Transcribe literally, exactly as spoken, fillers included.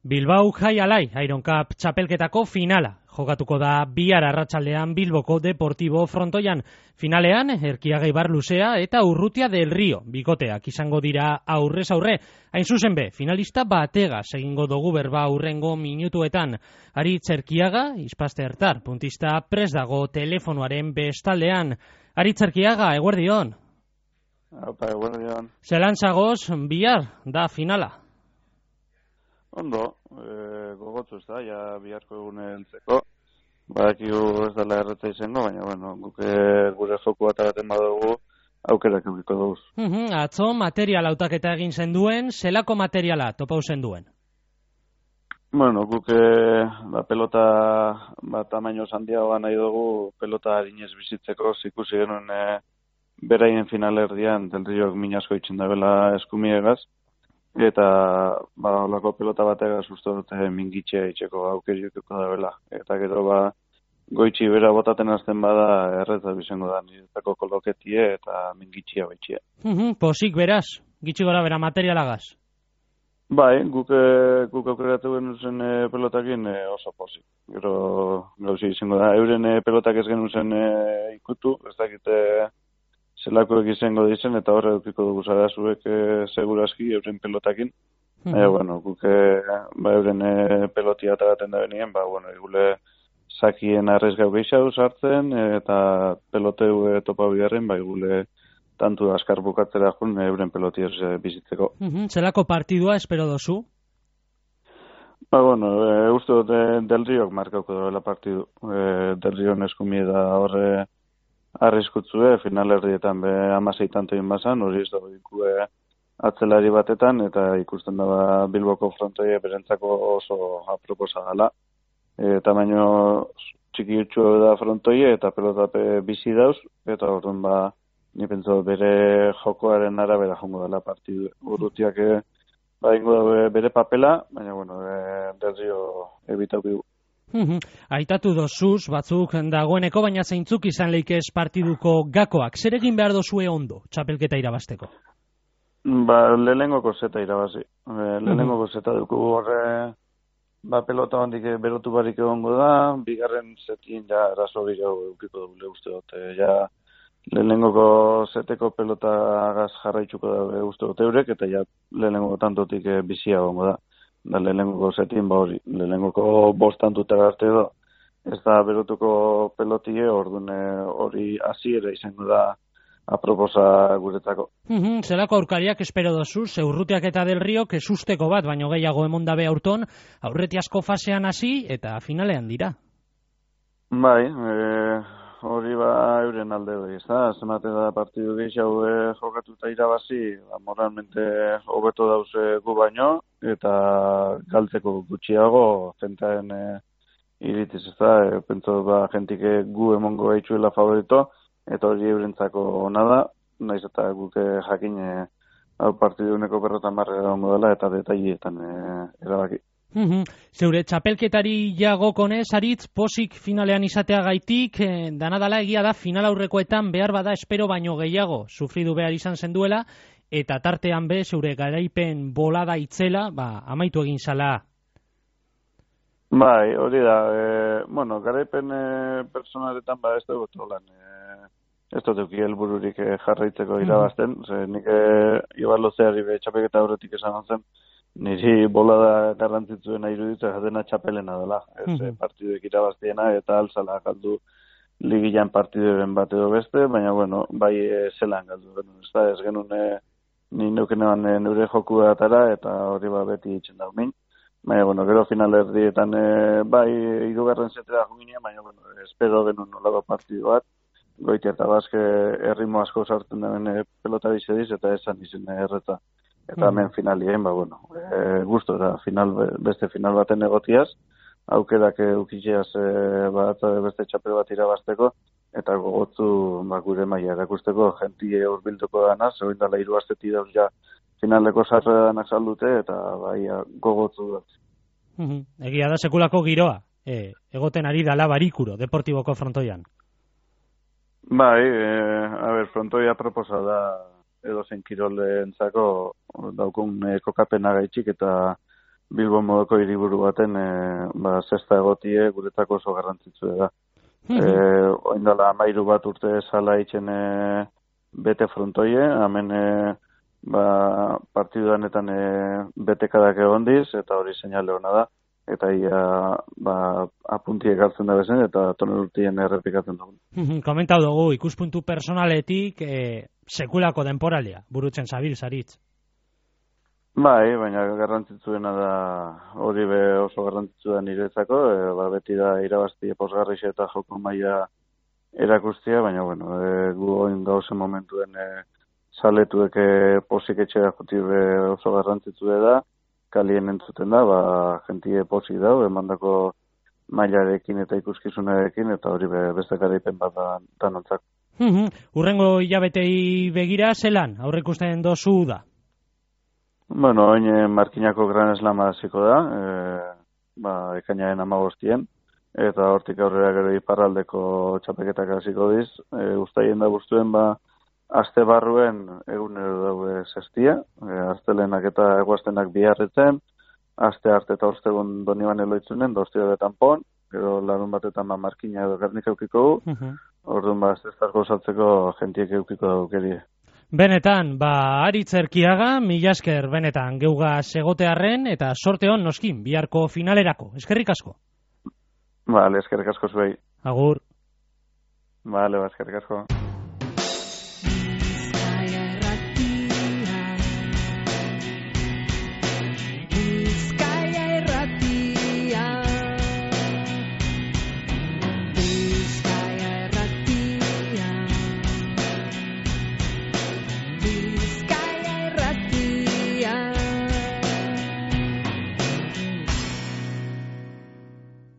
Bilbao Jai Alai Iron Cup txapelketako finala jokatuko da bihar arratsaldean Bilboko Deportibo frontoian. Finalean Erkiaga Ibar Luzea eta Urrutia del Rio bikoteak izango dira aurrez aurre. Hain zuzen be, finalista bategaz egingo dugu berba aurrengo minutuetan. Aritz Erkiaga, Izpaste Ertar, puntista prest dago telefonoaren bestaldean. Aritz Erkiaga, eguerdion. Opa, eguerdion. Zelan zagoz, bihar da finala? Ondo, e, gogotzu ez da, ja biharko egune heltzeko. Badakigu ez dela erretza izango, baina bueno, guke gure joku bat baten badugu aukerak eukiko dugu. Uh -huh, atzo material hautaketa egin zenduen, zelako materiala topau zenduen? Bueno, guke ba, pelota bat tamaino handiagoa nahi dugu, pelota harinez bizitzeko, ikusi genuen e, beraien finalerdian, Del Riok minasko itxen dabela eskumiegaz, eta ba holako pelota batega susto dute mingitxea itxeko aukeriukiko da bela. Eta gero ba goitxi bera botaten hasten bada erretza bizango da niretako koloketie eta mingitxea baitxea. Uh -huh, posik beraz, gitxi gora bera materialagaz. Bai, guk guk aukeratu genuzen e, pelotakin e, oso posik. Gero gauzi izango da euren e, pelotak ez genuzen e, ikutu, ez dakite zelakoek izango dizen, eta horre dukiko dugu zara zuek e, seguraski euren pelotakin. Mm -hmm. e, bueno, guke ba, euren e, pelotia eta gaten da benien, ba, bueno, egule sakien arrezgau gehiago sartzen, e, eta peloteu e, topa bigarren, ba, egule tantu askar bukatzera jun euren pelotiaz e, bizitzeko. Mm -hmm. Zelako partidua espero dozu? Ba, bueno, e, uste dut e, Del Riok markauko dela partidu. E, Del Riok eskumie da horre arriskutzue, finalerdietan be amasei tanto inbazan, hori ez dago ikue atzelari batetan, eta ikusten da Bilboko frontoia berentzako oso aproposa gala. E, tamaino txiki utxu da frontoia, eta pelotape bizi dauz, eta orduan ba, ni pentsa bere jokoaren arabera jongo dela partidu. Urrutiak e, ba, ingo da bere papela, baina, bueno, e, Del Rio ebitaukigu. Uhum. Aitatu dozuz, batzuk dagoeneko, baina zeintzuk izan leikez partiduko gakoak. Zer egin behar dozue ondo, txapelketa irabazteko? Ba, lehenengoko zeta irabazi. E, lehenengoko zeta dukugu horre, ba, pelota hondik berotu barik egongo da, bigarren zetin ja eraso gehiago eukiko dugu uste dut. E, ja, lehenengoko zeteko pelota agaz jarraitzuko da uste dut eurek, eta ja lehenengoko tantotik e, bizia egongo da. Da lehenengoko zetin, ba hori, lehenengoko bostantuta arte edo, ez da berotuko pelotie, orduan hori hasiera izango da aproposa guretzako. Mm-hmm, zelako aurkariak espero dozu, Urrutiak eta Del Riok esusteko bat, baino gehiago emondabe aurton, aurreti asko fasean hasi eta finalean dira. Bai, e, hori ba euren alde hori, ez da, zemate da partidu gehiago e, jokatuta irabazi, ba, moralmente hobeto dauze gu baino, eta galtzeko gutxiago zentaen e, iritziz, ez da, e, pentsa ba, jentik gu emongo gaitzuela favorito, eta hori eurentzako ona da, naiz eta guke jakin e, partiduneko berrotan barra dela eta detailletan e, erabaki. Mm-hmm. Zeure txapelketari jagokonez, Aritz, posik finalean izateagaitik, eh, danadala egia da final aurrekoetan behar bada espero baino gehiago sufridu behar izan zenduela, eta tartean be, zeure garaipen bolada itzela, ba, amaitu egin zala. Bai, hori da, e, bueno, garaipen e, personaletan ba ez dugu tolan, e, ez dut euki helbururik e, jarraitzeko irabazten, mm-hmm. Ze nik e, ibarlozeari be txapelketa aurretik esan zen, niri bolada garrantzitzuena iruditzen jatena txapelena dela. Ez mm-hmm. partiduek irabaztiena eta alzala galdu ligian partiduren bat edo beste, baina bueno, bai e, zelan galdu genuen. Ez da, ez genuen e, ni neukenean e, neure joku datara eta hori ba beti itxen dago min. Baina, bueno, gero finalerdietan e, bai hirugarren zetera junginean, baina bueno, espero genuen nolako partidu bat. Goiti eta bazke errimo asko sartzen den e, pelota bizediz eta esan izen erreta. Eta hemen finalien, ba, bueno, e, gusto da, final, beste final baten egotiaz, aukerak eukitzeaz e, bat beste txapel bat irabazteko, eta gogotzu ba, gure maila erakusteko, jentie hurbilduko dana, zegoen dala hiru asteti dauz ja finaleko sarredanak saldute, eta bai gogotzu dut. Mm-hmm. Egia da sekulako giroa, e, egoten ari dala barikuro, Deportiboko frontoian. Bai, e, a ber, frontoia proposa da, edo zen kirolentzako daukun e, kokapena gaitxik eta Bilbo modoko hiriburu baten e, ba, zesta egotie guretako oso garrantzitsua da. Mhm. E, oindala amairu bat urte sala itxen e, bete frontoie, hemen e, ba, partiduanetan e, betekadak egondiz, eta hori seinale hona da, eta ia ba, apuntiek hartzen da bezen, eta toner urtien errepikatzen dugu. Mhm, komentau dugu, ikuspuntu personaletik e, sekulako denporalia, burutzen zabil, zaritz. Bai, baina garrantzitsuena da, hori be oso garrantzitsua da niretzako, e, ba, beti da irabazti posgarrixe eta joko maila erakustia, baina bueno, e, gu oin gauzen momentuen e, saletuek e, posik etxera juti be oso garrantzitsua da, kalien entzuten da, ba, jentie posik dau, emandako mailarekin eta ikuskizunarekin, eta hori be, beste garaipen bat da danontzak. Mhm, urrengo hilabetei begira, zelan, aurreikusten dozu da? Bueno, oin Markinako Gran Slam hasiko da, e, ba, ekainaren hamabostien, eta hortik aurrera gero iparraldeko txapeketak hasiko diz, e, ustaien da guztuen, ba, aste barruen egunero daue zestia, e, astelenak eta eguaztenak biharretzen, aste arte eta ostegun doniban eloitzunen, da ostia betan pon, gero larun batetan ba, Markina edo Gernik eukiko gu, uh -huh. Orduan ba, zestarko saltzeko jentiek eukiko daukerie. Benetan, ba, Aritz Erkiaga, mila esker benetan geuga segotearren eta sorte hon noskin, biharko finalerako. Eskerrik asko. Vale, eskerrik asko zuei. Agur. Vale, ba, eskerrik asko.